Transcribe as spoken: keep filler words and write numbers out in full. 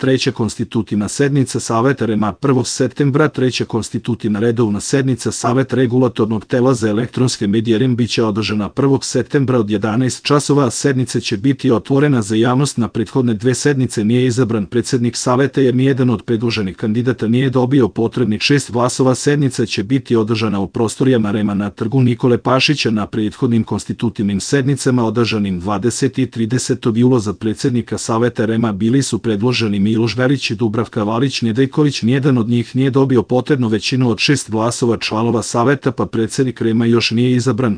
treća konstitutivna sednica Saveta REM-a prvog septembra, treća konstitutivna redovna sednica Saveta regulatornog tela za elektronske medije REM biće održana prvog septembra od jedanaest časova, a sednica će biti otvorena za javnost. Na prethodne dve sednice nije izabran predsednik Saveta jer nijedan od predloženih kandidata nije dobio potrebnih šest glasova. Sednica će biti održana u prostorijama REM-a na Trgu Nikole Pašića. Na prethodnim konstitutivnim sednicama održanim dvadesetog i tridesetog jula za predsednika Saveta REM-a bili su predloženi Miloš Verić i Dubravka Valić Nedeljković. Nijedan od njih nije dobio potrebnu većinu od šest glasova članova Saveta, pa predsednik REM-a još nije izabran.